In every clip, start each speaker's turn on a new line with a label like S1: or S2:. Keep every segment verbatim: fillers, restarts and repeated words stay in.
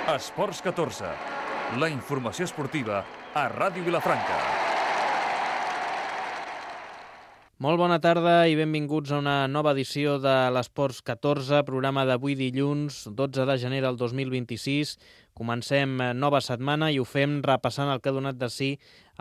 S1: Esports catorze, la informació esportiva a Ràdio Vilafranca.
S2: Molt bona tarda i benvinguts a una nova edició de l'Esports catorze, programa d'avui dilluns, dotze de gener del dos mil vint-i-sis. Comencem nova setmana i ho fem repassant el que ha donat de si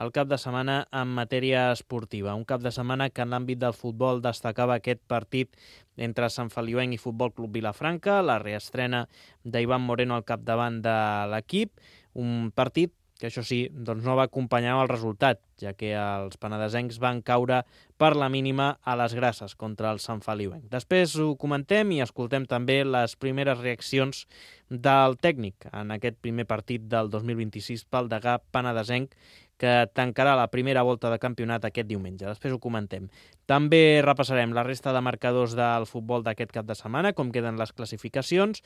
S2: el cap de setmana en matèria esportiva. Un cap de setmana que en l'àmbit del futbol destacava aquest partit entre Sant Feliuenc i Futbol Club Vilafranca, la reestrena d'Ivan Moreno al capdavant de l'equip, un partit que això sí, doncs no va acompanyar el resultat, ja que els penedesencs van caure per la mínima a les Grasses contra el Sant Feliuenc. Després ho comentem i escoltem també les primeres reaccions del tècnic en aquest primer partit del dos mil vint-i-sis pel degà penedesenc, que tancarà la primera volta de campionat aquest diumenge. Després ho comentem. També repassarem la resta de marcadors del futbol d'aquest cap de setmana, com queden les classificacions,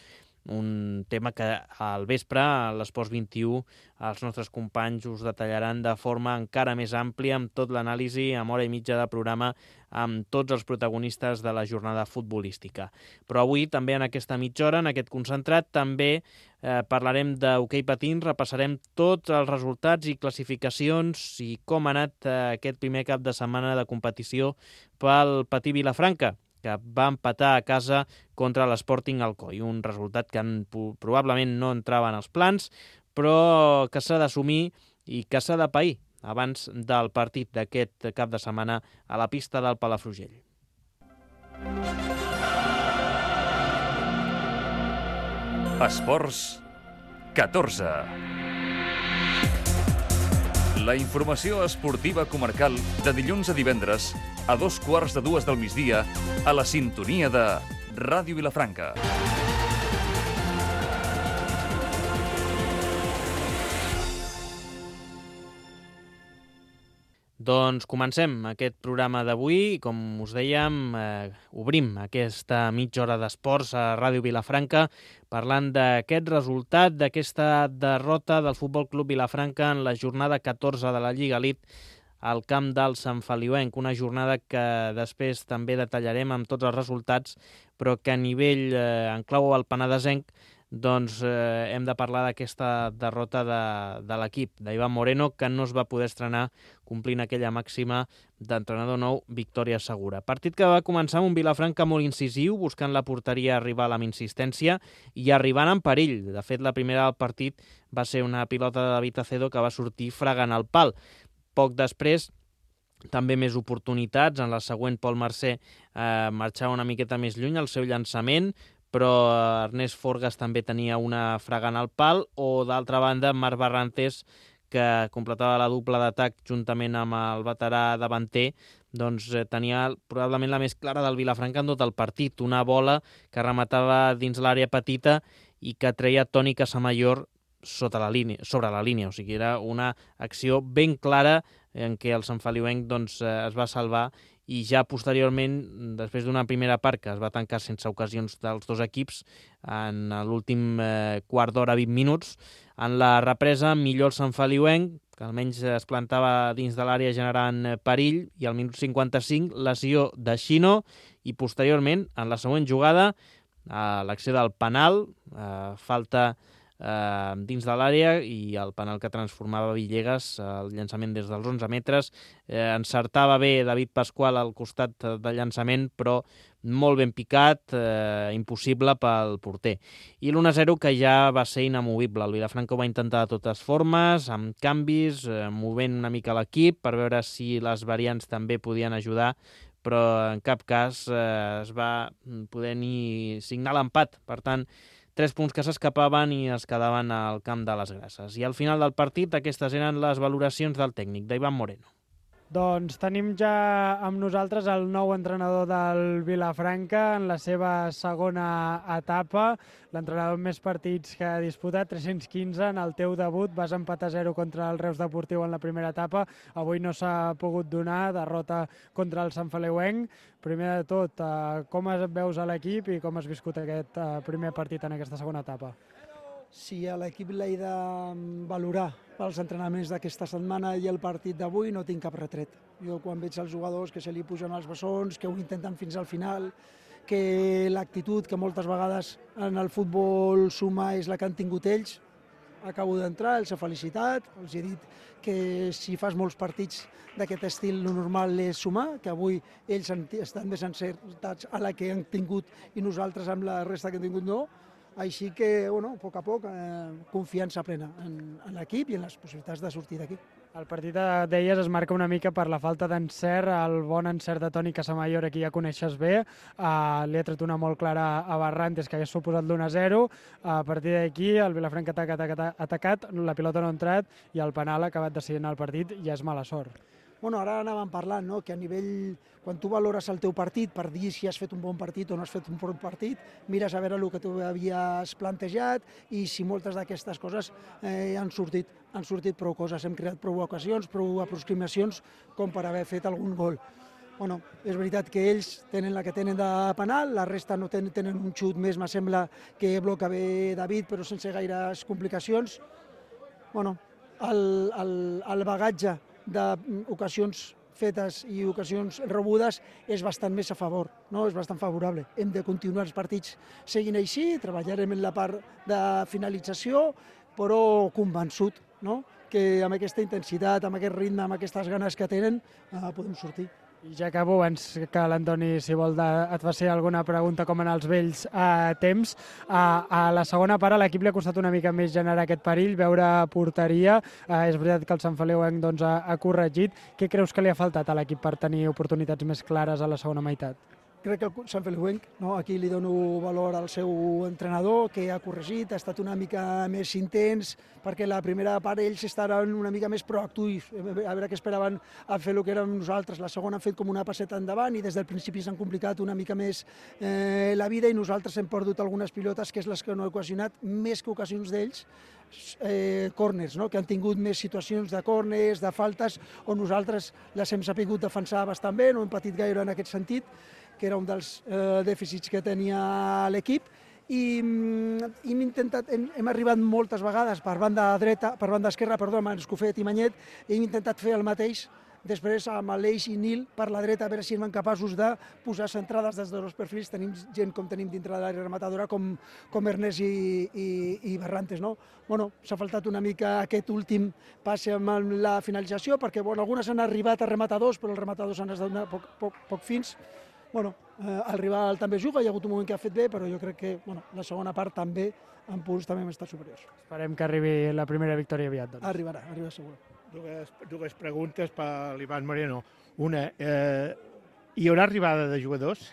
S2: un tema que al vespre, a l'Esports vint-i-u, els nostres companys us detallaran de forma encara més àmplia, amb tot l'anàlisi, amb hora i mitja de programa, amb tots els protagonistes de la jornada futbolística. Però avui, també en aquesta mitja hora, en aquest concentrat, també eh, parlarem d'hoquei patins, repassarem tots els resultats i classificacions i com ha anat eh, aquest primer cap de setmana de competició pel patí Vilafranca, que va empatar a casa contra l'Sporting Alcoi, un resultat que en, probablement no entrava en els plans, però que s'ha d'assumir i que s'ha de pair abans del partit d'aquest cap de setmana a la pista del Palafrugell.
S1: Esports catorze. La informació esportiva comarcal de dilluns a divendres a dos quarts de dues del migdia a la sintonia de Ràdio Vilafranca.
S2: Doncs comencem aquest programa d'avui i, com us dèiem, eh, obrim aquesta mitja hora d'esports a Ràdio Vilafranca parlant d'aquest resultat, d'aquesta derrota del Futbol Club Vilafranca en la jornada catorze de la Lliga Elite al camp del Sant Feliuenc. Una jornada que després també detallarem amb tots els resultats, però que a nivell eh, en clau al penedesenc doncs eh, hem de parlar d'aquesta derrota de, de l'equip d'Ivan Moreno, que no es va poder estrenar complint aquella màxima d'entrenador nou, victòria segura. Partit que va començar amb un Vilafranca molt incisiu, buscant la porteria rival amb insistència i arribant en perill. De fet, la primera del partit va ser una pilota de David Acedo que va sortir fregant el pal. Poc després, també més oportunitats. En la següent, Pol Mercè eh, marxava una miqueta més lluny al seu llançament, però Ernest Forgas també tenia una fregant al pal, o d'altra banda Marc Barrantes, que completava la dupla d'atac juntament amb el veterà davanter, doncs eh, tenia probablement la més clara del Vilafranca en tot el partit, una bola que rematava dins l'àrea petita i que treia Toni Casamayor sota la línia, sobre la línia, o sigui, era una acció ben clara en què el Sant Feliuenc doncs, eh, es va salvar, i ja posteriorment, després d'una primera part que es va tancar sense ocasions dels dos equips, en l'últim eh, quart d'hora, vint minuts, en la represa millor el Sant Feliuenc, que almenys es plantava dins de l'àrea generant perill, i al minut cinquanta-cinc lesió de Xino, i posteriorment, en la següent jugada, a l'acció del penal, eh, falta eh, dins de l'àrea, i el penal que transformava Villegas, el llançament des dels onze metres, eh, encertava bé David Pasqual al costat de llançament, però molt ben picat, eh, impossible pel porter. I l'u a zero que ja va ser inamovible. El Vilafranca ho va intentar de totes formes, amb canvis, eh, movent una mica l'equip per veure si les variants també podien ajudar, però en cap cas eh, es va poder ni signar l'empat. Per tant, tres punts que s'escapaven i es quedaven al camp de les Grasses. I al final del partit aquestes eren les valoracions del tècnic, d'Ivan Moreno.
S3: Doncs tenim ja amb nosaltres el nou entrenador del Vilafranca en la seva segona etapa, l'entrenador amb més partits que ha disputat, tres-cents quinze. En el teu debut vas empatar a zero contra el Reus Deportiu en la primera etapa, avui no s'ha pogut donar, derrota contra el Sant Feliuenc. Primer de tot, com es veus a l'equip i com has viscut aquest primer partit en aquesta segona etapa?
S4: Si a l'equip l'he de valorar pels entrenaments d'aquesta setmana i el partit d'avui, no tinc cap retret. Jo quan veig els jugadors que se li pugen els bessons, que ho intenten fins al final, que l'actitud que moltes vegades en el futbol suma és la que han tingut ells, acabo d'entrar, els he felicitat, els he dit que si fas molts partits d'aquest estil, el normal és sumar, que avui ells estan més encertats a la que han tingut i nosaltres amb la resta que han tingut no. Així que, bueno, a poc a poc, eh, confiança plena en, en l'equip i en les possibilitats de sortir d'aquí.
S3: El partit, deies, es marca una mica per la falta d'encert, el bon encert de Toni Casamayor, aquí ja coneixes bé, uh, li ha tret una molt clara a Barrantes, que hagués suposat l'u a zero, a partir d'aquí el Vilafranca ha atacat, atacat, la pilota no ha entrat i el penal ha acabat decidint el partit i és mala sort.
S4: Bueno, ara anàvem parlant, no?, que a nivell, quan tu valores el teu partit per dir si has fet un bon partit o no has fet un bon partit, mires a veure el que tu havies plantejat i si moltes d'aquestes coses eh, han sortit, han sortit prou coses, hem creat prou ocasions, prou aproximacions com per haver fet algun gol. Bueno, és veritat que ells tenen la que tenen de penal, la resta no tenen, tenen un xut més, me sembla que bloca bé David, però sense gaires complicacions. Bueno, el, el, el bagatge d'ocasions fetes i ocasions rebudes és bastant més a favor, no? És bastant favorable. Hem de continuar els partits seguint així, treballarem en la part de finalització, però convençut, no?, que amb aquesta intensitat, amb aquest ritme, amb aquestes ganes que tenen, eh, podem sortir.
S3: I ja acabo, abans que l'Antoni, si vol, de, et faci alguna pregunta com en els vells eh, temps. A, a la segona part a l'equip li ha costat una mica més generar aquest perill, veure porteria. Eh, és veritat que el Sant Feliuenc doncs, ha, ha corregit. Què creus que li ha faltat a l'equip per tenir oportunitats més clares a la segona meitat?
S4: Crec que el Sant Feliuenc, no? Aquí li dono valor al seu entrenador, que ha corregit, ha estat una mica més intens, perquè la primera part ells estaven una mica més proactius, a veure què esperaven a fer el que érem nosaltres. La segona han fet com una passeta endavant i des del principi s'han complicat una mica més eh, la vida i nosaltres hem perdut algunes pilotes, que és les que no he ocasionat, més que ocasions d'ells, eh, corners, no?, que han tingut més situacions de corners, de faltes, on nosaltres les hem sabut defensar bastant bé, no hem patit gaire en aquest sentit, que era un dels eh, dèficits que tenia l'equip, i hem intentat, hem, hem arribat moltes vegades per banda dreta, per banda esquerra, perdó, amb Escofet i Manyet, i hem intentat fer el mateix després amb l'Eix i Nil per la dreta, a veure si eren capaços de posar centrades des dels dos perfils. Tenim gent com tenim dintre de l'àrea rematadora, com, com Ernest i, i, i Barrantes, no? Bueno, s'ha faltat una mica aquest últim passe amb la finalització, perquè bueno, algunes han arribat a rematadors, però els rematadors han estat poc, poc, poc fins. Bueno, eh, el rival també juga, hi ha hagut un moment que ha fet bé, però jo crec que bueno, la segona part també, en punts, també hem estat superiors.
S3: Esperem que arribi la primera victòria aviat. Doncs.
S4: Arribarà, arribarà segur.
S5: Dues, dues preguntes per l'Ivan Moreno. Una, eh, hi haurà arribada de jugadors?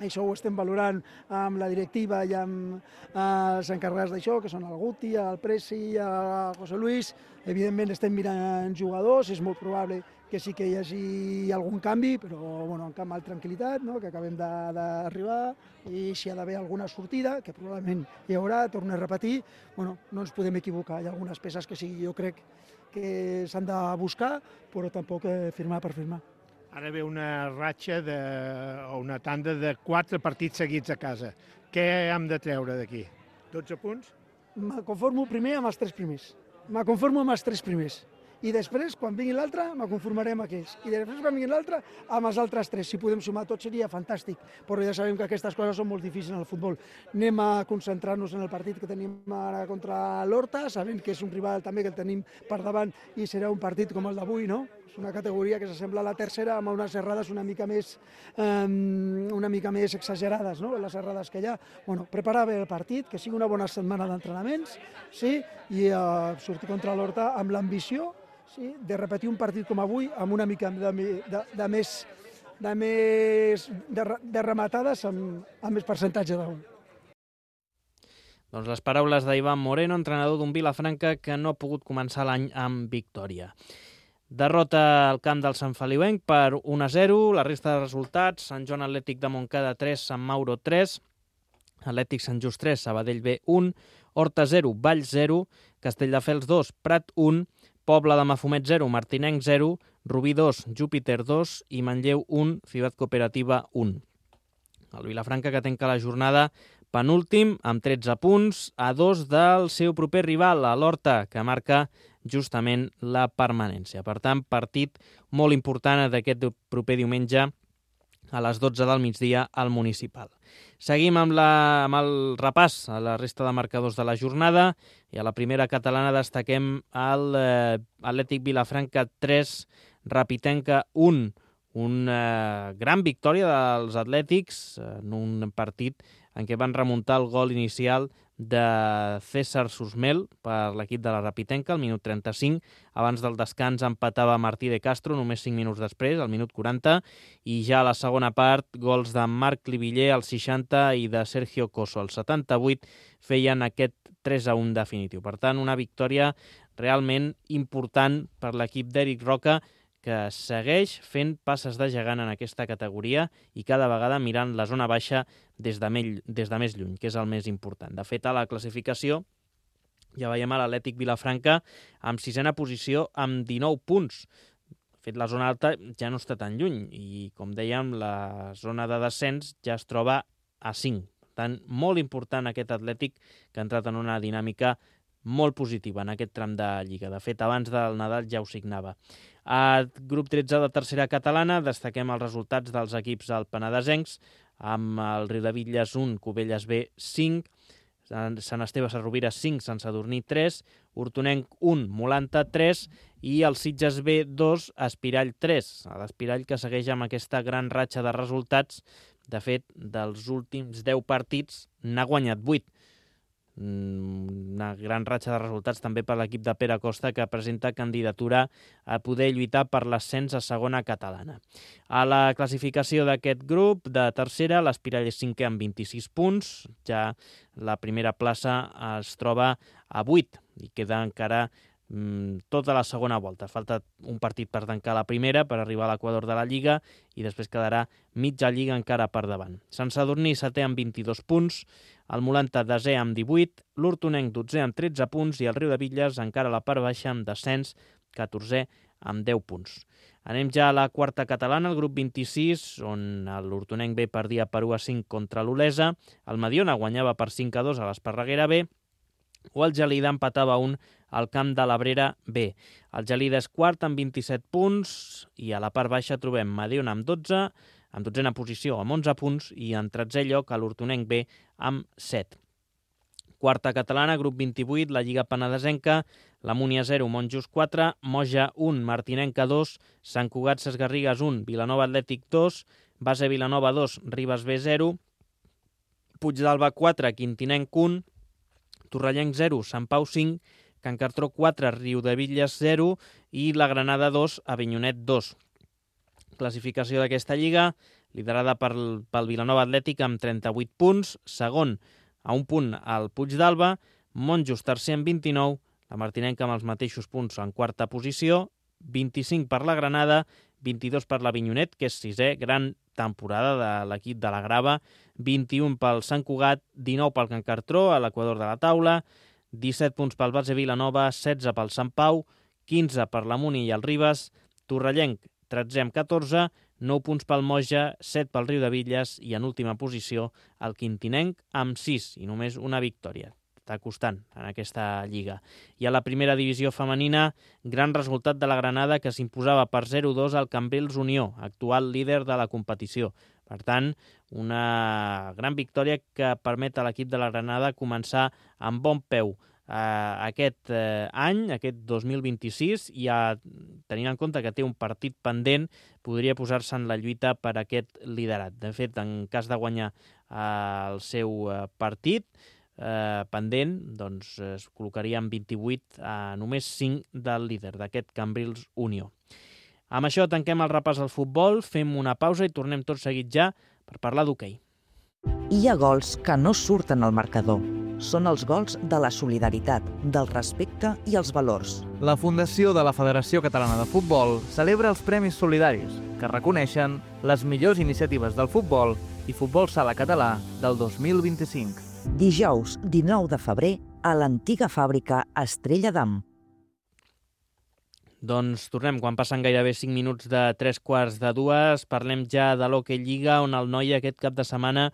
S4: Això ho estem valorant amb la directiva i amb eh, els encarregats d'això, que són el Guti, el Presi, el José Luis. Evidentment estem mirant jugadors, és molt probable que sí que hi hagi algun canvi, però bueno, amb calma i tranquil·litat, no?, que acabem d'arribar, i si hi ha d'haver alguna sortida, que probablement hi haurà, torno a repetir, bueno, no ens podem equivocar. Hi ha algunes peces que sí, jo crec que s'han de buscar, però tampoc eh, firmar per firmar.
S5: Ara ve una ratxa de, o una tanda de quatre partits seguits a casa. Què hem de treure d'aquí? dotze punts?
S4: Me conformo primer amb els tres primers. Me conformo amb els tres primers. I després, quan vingui l'altre, me conformaré amb aquells. I després, quan vingui l'altre, amb els altres tres. Si podem sumar tot seria fantàstic, però ja sabem que aquestes coses són molt difícils en el futbol. Anem a concentrar-nos en el partit que tenim ara contra l'Horta, sabent que és un rival també que el tenim per davant i serà un partit com el d'avui, no? És una categoria que s'assembla a la tercera, amb unes errades una mica més, um, una mica més exagerades, no?, les errades que hi ha. Bueno, preparar bé el partit, que sigui una bona setmana d'entrenaments, sí, i uh, sortir contra l'Horta amb l'ambició, sí, de repetir un partit com avui amb una mica de, de, de més, de, més de, de rematades amb, amb més percentatge de gol.
S2: Doncs les paraules d'Ivan Moreno, entrenador d'un Vilafranca que no ha pogut començar l'any amb victòria. Derrota al camp del Sant Feliuenc per un a zero, la resta de resultats: Sant Joan Atlètic de Montcada tres, Sant Mauro tres, Atlètic Sant Just tres, Sabadell B un, Horta zero, Valls zero, Castelldefels dos, Prat un, Pobla de Mafumet zero, Martinenc zero, Rubí dos, Júpiter dos i Manlleu un, Ciutat Cooperativa un. El Vilafranca, que tanca la jornada penúltim amb tretze punts, a dos del seu proper rival, a l'Horta, que marca justament la permanència. Per tant, partit molt important d'aquest proper diumenge a les dotze del migdia al Municipal. Seguim amb, la, amb el repàs a la resta de marcadors de la jornada i a la primera catalana destaquem el eh, Atlètic Vilafranca tres, Rapitenca un. Una gran victòria dels Atlètics en un partit en què van remuntar el gol inicial de César Susmel per l'equip de la Rapitenca al minut trenta-cinc. Abans del descans empatava Martí de Castro només cinc minuts després, al minut quaranta, i ja a la segona part, gols de Marc Liviller al seixanta i de Sergio Coso al setanta-vuit feien aquest tres a un definitiu. Per tant, una victòria realment important per l'equip d'Eric Roca, que segueix fent passes de gegant en aquesta categoria i cada vegada mirant la zona baixa des de, me- des de més lluny, que és el més important. De fet, a la classificació ja veiem a l'Atlètic Vilafranca amb sisena posició amb dinou punts. De fet, la zona alta ja no està tan lluny i, com dèiem, la zona de descens ja es troba a cinc. Per tant, molt important aquest Atlètic que ha entrat en una dinàmica molt positiva en aquest tram de Lliga. De fet, abans del Nadal ja ho signava. A grup tretze de tercera catalana destaquem els resultats dels equips al Penedesencs, amb el Riudebitlles un, Cubelles B cinc, Sant Esteve Sarrovira cinc, Sant Sadurní tres, Hortonenc un, Molanta tres i el Sitges B dos, Espirall tres. L'Espirall que segueix amb aquesta gran ratxa de resultats. De fet, dels últims deu partits n'ha guanyat vuit. Una gran ratxa de resultats també per l'equip de Pere Costa, que presenta candidatura a poder lluitar per l'ascens a segona catalana. A la classificació d'aquest grup de tercera, l'Espirall és cinquè amb vint-i-sis punts, ja la primera plaça es troba a vuit i queda encara mmm, tota la segona volta. Falta un partit per tancar la primera, per arribar a l'equador de la Lliga, i després quedarà mitja Lliga encara per davant. Sant Sadurní setè amb vint-i-dos punts, el Molanta desè amb divuit, l'Hortonenc dotzè amb tretze punts i el Riudebitlles encara a la part baixa amb descens, catorzè amb deu punts. Anem ja a la quarta catalana, el grup vint-i-sis, on l'Hortonenc B perdia per u a cinc contra l'Olesa, el Mediona guanyava per cinc a dos a l'Esparreguera B, o el Gelida empatava un al camp de l'Abrera B. El Gelida és quart amb vint-i-set punts i a la part baixa trobem Mediona amb dotze, amb dotzena posició amb onze punts i en tretzè lloc a l'Hortonenc B amb set. Quarta catalana, grup vint-i-vuit, la Lliga Penedesenca, la Múnia zero, Monjos quatre, Moja un, Martinenca dos, Sant Cugat Sesgarrigues un, Vilanova Atlètic dos, Base Vilanova dos, Ribes B zero, Puigdàlber quatre, Quintinenc un, Torrellenc zero, Sant Pau cinc, Can Cartró quatre, Riudebitlles zero i la Granada dos, Avinyonet dos. Classificació d'aquesta lliga, liderada pel, pel Vilanova Atlètic amb trenta-vuit punts, segon a un punt al Puigdàlber, Monjos tercer amb vint-i-nou, la Martinenca amb els mateixos punts en quarta posició, vint-i-cinc per la Granada, vint-i-dos per l'Avinyonet, que és sisè, gran temporada de l'equip de la Grava, vint-i-un pel Sant Cugat, dinou pel Can Cartró, a l'equador de la taula, disset punts pel Base Vilanova, setze pel Sant Pau, quinze per la Múnia i el Ribes, Torrellenc tretzè amb catorze, nou punts pel Moja, set pel Riudebitlles i en última posició el Quintinenc amb sis i només una victòria. Està costant en aquesta lliga. I a la primera divisió femenina, gran resultat de la Granada que s'imposava per zero a dos al Cambrils Unió, actual líder de la competició. Per tant, una gran victòria que permet a l'equip de la Granada començar amb bon peu Uh, aquest uh, any, aquest dos mil vint-i-sis, i a, tenint en compte que té un partit pendent, podria posar-se en la lluita per aquest liderat. De fet, en cas de guanyar uh, el seu uh, partit uh, pendent, doncs es col·locaria en vint-i-vuit a només cinc del líder d'aquest Cambrils Unió. Amb això tanquem el repàs al futbol, fem una pausa i tornem tot seguit ja per parlar d'hoquei.
S6: Hi ha gols que no surten al marcador. Són els gols de la solidaritat, del respecte i els valors.
S7: La Fundació de la Federació Catalana de Futbol celebra els Premis Solidaris, que reconeixen les millors iniciatives del futbol i futbol sala català del dos mil vint-i-cinc.
S6: Dijous dinou de febrer a l'antiga fàbrica Estrella d'Am.
S2: Doncs tornem, quan passen gairebé cinc minuts de tres quarts de dues, parlem ja de l'Hockey Lliga, on el Noia aquest cap de setmana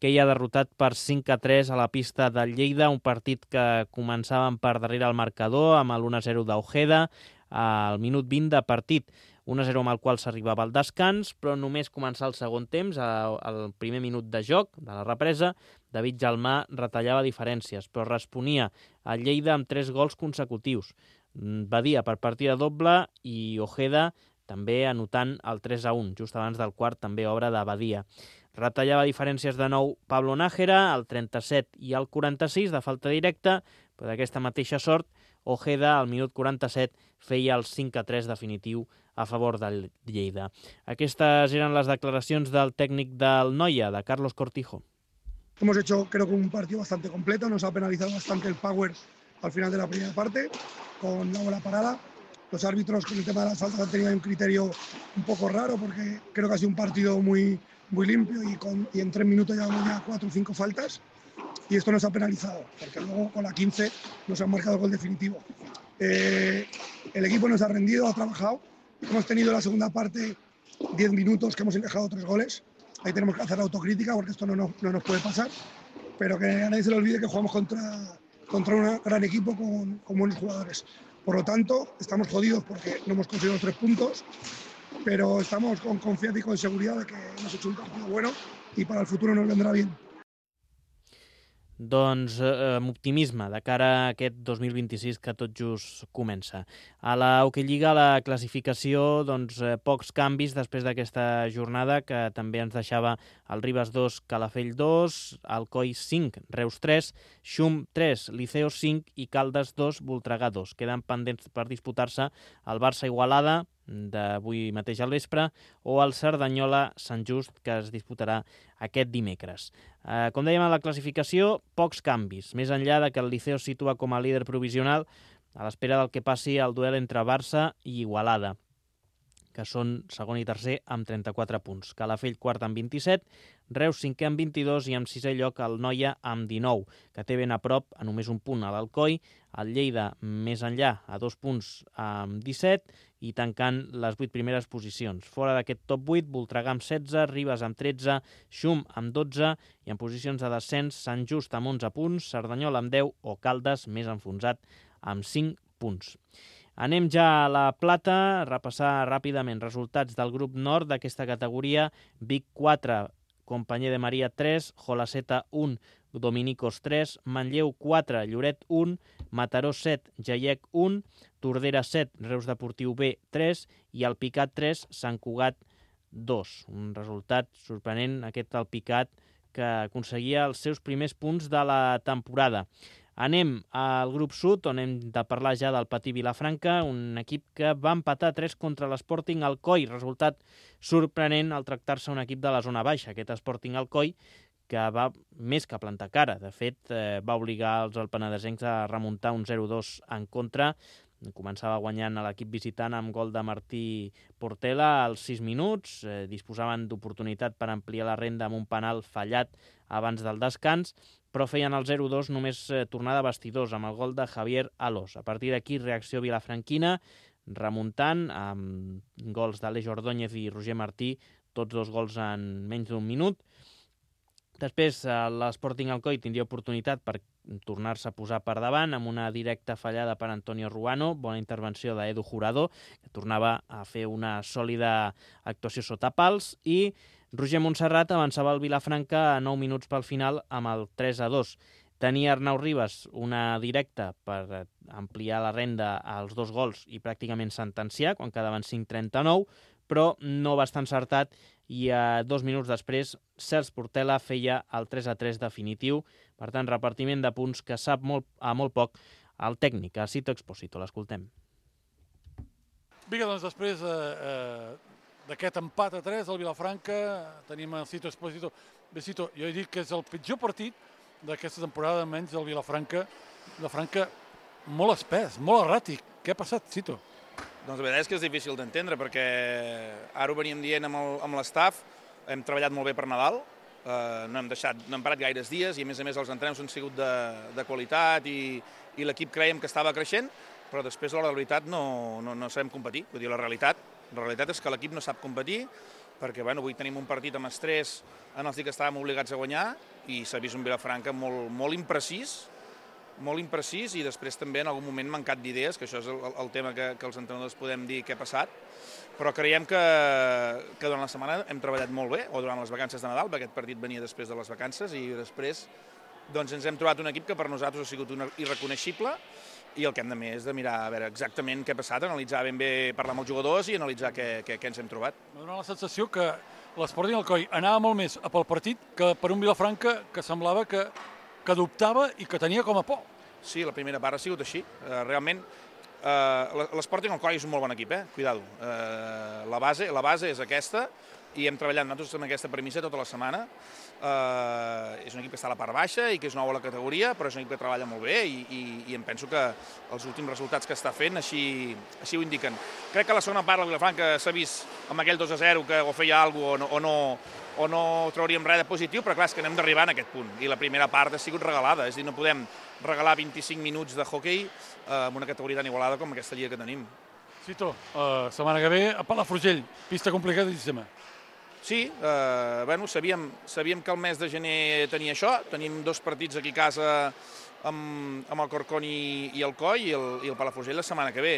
S2: que hi ha derrotat per cinc a tres a la pista del Lleida, un partit que començaven per darrere el marcador amb l'u a zero d'Ojeda al minut vint de partit. un a zero amb el qual s'arribava al descans, però només començar el segon temps, al primer minut de joc, de la represa, David Jalmà retallava diferències, però responia a Lleida amb tres gols consecutius. Badia per partida doble i Ojeda també anotant el tres a un, just abans del quart, també obra de Badia. Retallava diferències de nou Pablo Nájera, al trenta-set i al quaranta-sis, de falta directa, però d'aquesta mateixa sort, Ojeda, al minut quaranta-set, feia el cinc a tres definitiu a favor del Lleida. Aquestes eren les declaracions del tècnic del Noia, de Carlos Cortijo.
S8: Hemos hecho, creo que un partido bastante completo, nos ha penalizado bastante el power al final de la primera parte, con la bola parada. Los árbitros con el tema de las faltas han tenido un criterio un poco raro, porque creo que ha sido un partido muy, muy limpio y, con, y en tres minutos llevamos ya cuatro o cinco faltas, y esto nos ha penalizado, porque luego con la quince nos han marcado el gol definitivo. Eh, el equipo nos ha rendido, ha trabajado, hemos tenido la segunda parte diez minutos que hemos encajado tres goles. Ahí tenemos que hacer la autocrítica porque esto no nos, no nos puede pasar, pero que a nadie se le olvide que jugamos contra, contra un gran equipo con, con buenos jugadores. Por lo tanto, estamos jodidos porque no hemos conseguido tres puntos, pero estamos con confianza y con seguridad de que hemos hecho un partido bueno y para el futuro nos vendrá bien.
S2: Doncs eh, amb optimisme de cara a aquest dos mil vint-i-sis que tot just comença. A la Hockey Lliga, la classificació, doncs, eh, pocs canvis després d'aquesta jornada, que també ens deixava el Ribes dos, Calafell dos, Alcoi cinc, Reus tres, Xum tres, Liceo cinc i Caldes dos, Voltregà dos. Queden pendents per disputar-se el Barça-Igualada, d'avui mateix al vespre, o el Cerdanyola-Sant Just, que es disputarà aquest dimecres. Eh, com dèiem, a la classificació, pocs canvis, més enllà de que el Liceo situa com a líder provisional a l'espera del que passi el duel entre Barça i Igualada, que són segon i tercer amb trenta-quatre punts. Calafell quart amb vint-i-set, Reus cinquè amb vint-i-dos i amb sisè lloc el Noia amb dinou, que té ben a prop a només un punt a l'Alcoi, el Lleida més enllà a dos punts amb disset i tancant les vuit primeres posicions. Fora d'aquest top vuit, Voltregà amb setze, Ribes amb tretze, Xum amb dotze i en posicions de descens Sant Just amb onze punts, Cerdanyola amb deu o Caldes més enfonsat amb cinc punts. Anem ja a la Plata, a repassar ràpidament resultats del grup nord d'aquesta categoria. Vic quatre, Companyer de Maria tres, Jolaseta un, Dominicos tres, Manlleu quatre, Lloret un, Mataró set, Jaiec un, Tordera set, Reus Deportiu B tres i Alpicat tres, Sant Cugat dos. Un resultat sorprenent, aquest Alpicat, que aconseguia els seus primers punts de la temporada. Anem al grup sud, on hem de parlar ja del Patí Vilafranca, un equip que va empatar tres contra l'Sporting Alcoi. Resultat sorprenent al tractar-se un equip de la zona baixa, aquest Sporting Alcoi, que va més que plantar cara. De fet, eh, va obligar els alpenadesencs a remuntar un zero dos en contra. Començava guanyant a l'equip visitant amb gol de Martí Portela als sis minuts. Eh, disposaven d'oportunitat per ampliar la renda amb un penal fallat abans del descans, però feien el zero dos només eh, tornar de vestidors amb el gol de Javier Alós. A partir d'aquí, reacció vilafranquina, remuntant amb gols d'Aleix Ordóñez i Roger Martí, tots dos gols en menys d'un minut. Després, l'Sporting Alcoi tindria oportunitat per tornar-se a posar per davant amb una directa fallada per Antonio Ruano, bona intervenció d'Edu Jurado, que tornava a fer una sòlida actuació sota pals, i Roger Montserrat avançava el Vilafranca a nou minuts pel final amb el tres a dos. Tenia Arnau Ribas una directa per ampliar la renda als dos gols i pràcticament sentenciar, quan quedaven cinc trenta-nou, però no va estar encertat i a dos minuts després Cels Portela feia el tres a tres definitiu. Per tant, repartiment de punts que sap molt, a molt poc el tècnic, a Cito Expósito. L'escoltem.
S9: Vinga, doncs després eh, eh, d'aquest empat a tres al Vilafranca tenim el Cito Expósito. Bé, Cito, jo he dit que és el pitjor partit d'aquesta temporada, menys del Vilafranca. Vilafranca molt espès, molt erràtic. Què ha passat, Cito?
S10: Doncs la veritat és que és difícil d'entendre, perquè ara ho veníem dient amb l'estaf, hem treballat molt bé per Nadal, eh, no hem deixat, no hem parat gaires dies i a més a més els entrenaments han sigut de, de qualitat i, i l'equip creiem que estava creixent, però després a l'hora de la veritat no, no, no sabem competir. Vull dir, la realitat, la realitat és que l'equip no sap competir, perquè bueno, avui tenim un partit amb estrès en els dies que estàvem obligats a guanyar i s'ha vist un Vilafranca molt, molt imprecís, molt imprecís i després també en algun moment mancat d'idees, que això és el, el tema que, que els entrenadors podem dir què ha passat, però creiem que, que durant la setmana hem treballat molt bé, o durant les vacances de Nadal, perquè aquest partit venia després de les vacances, i després doncs, ens hem trobat un equip que per nosaltres ha sigut un irreconeixible, i el que hem de més és de mirar a veure exactament què ha passat, analitzar ben bé, parlar amb els jugadors i analitzar què, què, què ens hem trobat.
S9: M'ha donat la sensació que l'Sporting Alcoi anava molt més a pel partit que per un Vilafranca que semblava que, que dubtava i que tenia com a por.
S10: Sí, la primera part ha sigut així. Uh, realment, uh, l'Sporting Alcoi és un molt bon equip, eh? Cuidado. Uh, la, base, la base és aquesta i hem treballat nosaltres amb aquesta premissa tota la setmana. Uh, és un equip que està a la part baixa i que és nou a la categoria, però és un equip que treballa molt bé i, i, i em penso que els últims resultats que està fent així, així ho indiquen. Crec que la segona part, la Vilafranca s'ha vist amb aquell dos a zero que o feia alguna cosa o no, o no, o no trauríem res de positiu, però clar, és que anem d'arribar en aquest punt. I la primera part ha sigut regalada, és a dir, no podem regalar vint-i-cinc minuts de hoquei uh, amb una categoria tan igualada com aquesta lliga que tenim.
S9: Cito, uh, setmana que ve a Palafrugell, pista complicadíssima.
S10: Sí, eh, bueno, sabíem, sabíem que el mes de gener tenia això, tenim dos partits aquí a casa amb, amb el Corcón i, i el Coi i el, i el Palafrugell la setmana que ve.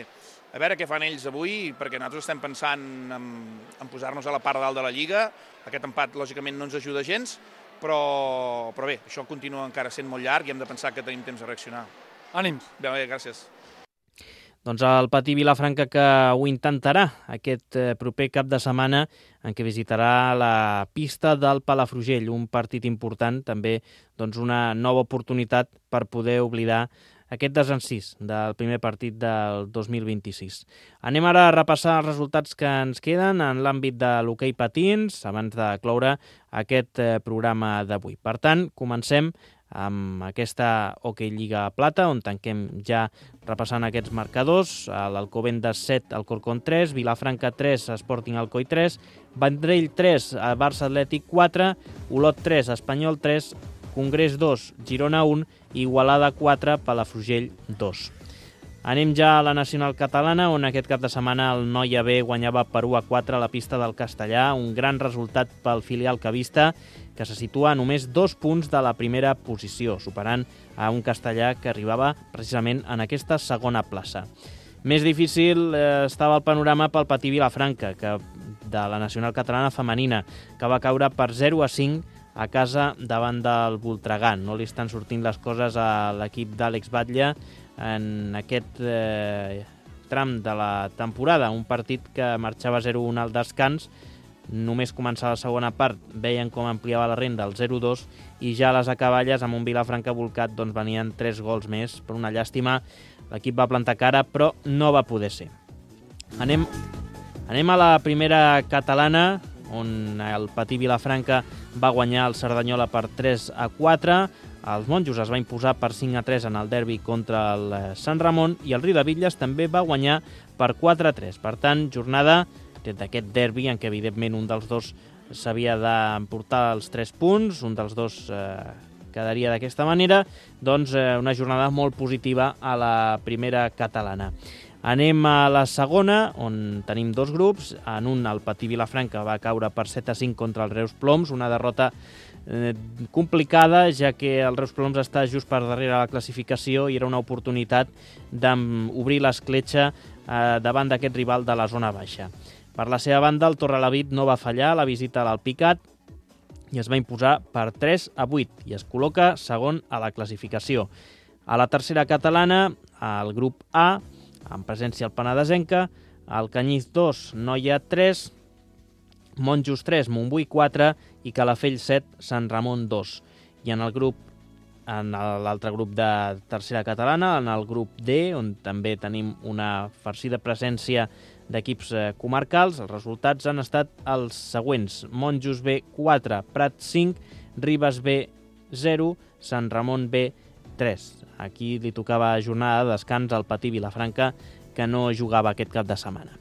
S10: A veure què fan ells avui, perquè nosaltres estem pensant en, en posar-nos a la part dalt de la Lliga. Aquest empat, lògicament, no ens ajuda gens, però, però bé, això continua encara sent molt llarg i hem de pensar que tenim temps de reaccionar.
S9: Ànims.
S10: Bé, bé, gràcies.
S2: Doncs el Patí Vilafranca que ho intentarà aquest proper cap de setmana en què visitarà la pista del Palafrugell, un partit important, també doncs una nova oportunitat per poder oblidar aquest desencís del primer partit del dos mil vint-i-sis. Anem ara a repassar els resultats que ens queden en l'àmbit de l'hoquei patins abans de cloure aquest programa d'avui. Per tant, comencem amb aquesta Hockey Lliga Plata, on tanquem ja repassant aquests marcadors. L'Alcobendas set, Alcorcón tres, Vilafranca tres, Sporting Alcoi tres, Vendrell tres, Barça Atlètic quatre, Olot tres, Espanyol tres, Congrés dos, Girona un, Igualada quatre, Palafrugell dos. Anem ja a la nacional catalana, on aquest cap de setmana el Noia B guanyava per u a quatre a la pista del Castellà, un gran resultat pel filial cavista, que se situa a només dos punts de la primera posició, superant a un Castellà que arribava precisament en aquesta segona plaça. Més difícil eh, estava el panorama pel Patí Vilafranca, que, de la nacional catalana femenina, que va caure per zero a cinc a casa davant del Voltregà. No li estan sortint les coses a l'equip d'Àlex Batlle en aquest eh, tram de la temporada, un partit que marxava zero a un al descans. Només començar la segona part veien com ampliava la renda al zero a dos i ja a les acaballes amb un Vilafranca volcat doncs venien tres gols més. Per una llàstima l'equip va plantar cara però no va poder ser. Anem, anem a la primera catalana, on el Patí Vilafranca va guanyar el Cerdanyola per tres a quatre. Els monjos es va imposar per cinc a tres en el derbi contra el Sant Ramon i el Riudebitlles també va guanyar per quatre a tres. Per tant, jornada d'aquest derbi en què evidentment un dels dos s'havia d'emportar els tres punts, un dels dos eh, quedaria d'aquesta manera, doncs eh, una jornada molt positiva a la primera catalana. Anem a la segona, on tenim dos grups. En un, el Patí Vilafranca va caure per set a cinc contra el Reus Ploms, una derrota eh, complicada, ja que el Reus Ploms està just per darrere la classificació i era una oportunitat d'obrir l'escletxa eh, davant d'aquest rival de la zona baixa. Per la seva banda, el Torrelavit no va fallar la visita a l'Alpicat i es va imposar per tres a vuit i es col·loca segon a la classificació. A la tercera catalana, al grup A, amb presència al Penedesenca, el Canyís dos, Noia tres, Monjos tres, Montbui quatre i Calafell set, Sant Ramon dos. I en el grup, en l'altre grup de tercera catalana, en el grup D, on també tenim una farcida presència d'equips comarcals, els resultats han estat els següents: Monjos B quatre, Prat cinc, Ribes B zero, Sant Ramon B tres. Aquí li tocava jornada de descans al Patí Vilafranca, que no jugava aquest cap de setmana.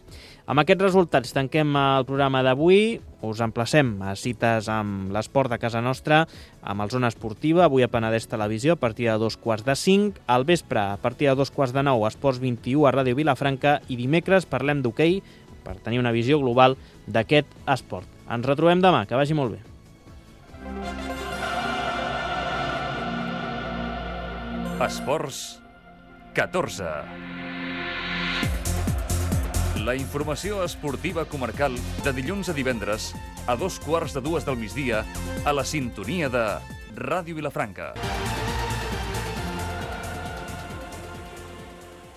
S2: Amb aquests resultats tanquem el programa d'avui. Us emplacem a cites amb l'esport de casa nostra, amb el Zona Esportiva, avui a Penedès Televisió, a partir de dos quarts de cinc, al vespre, a partir de dos quarts de nou, a Esports vint-i-u a Ràdio Vilafranca, i dimecres parlem d'hoquei per tenir una visió global d'aquest esport. Ens retrobem demà, que vagi molt bé.
S1: Esports catorze. La informació esportiva comarcal de dilluns a divendres a dos quarts de dues del migdia a la sintonia de Ràdio Vilafranca.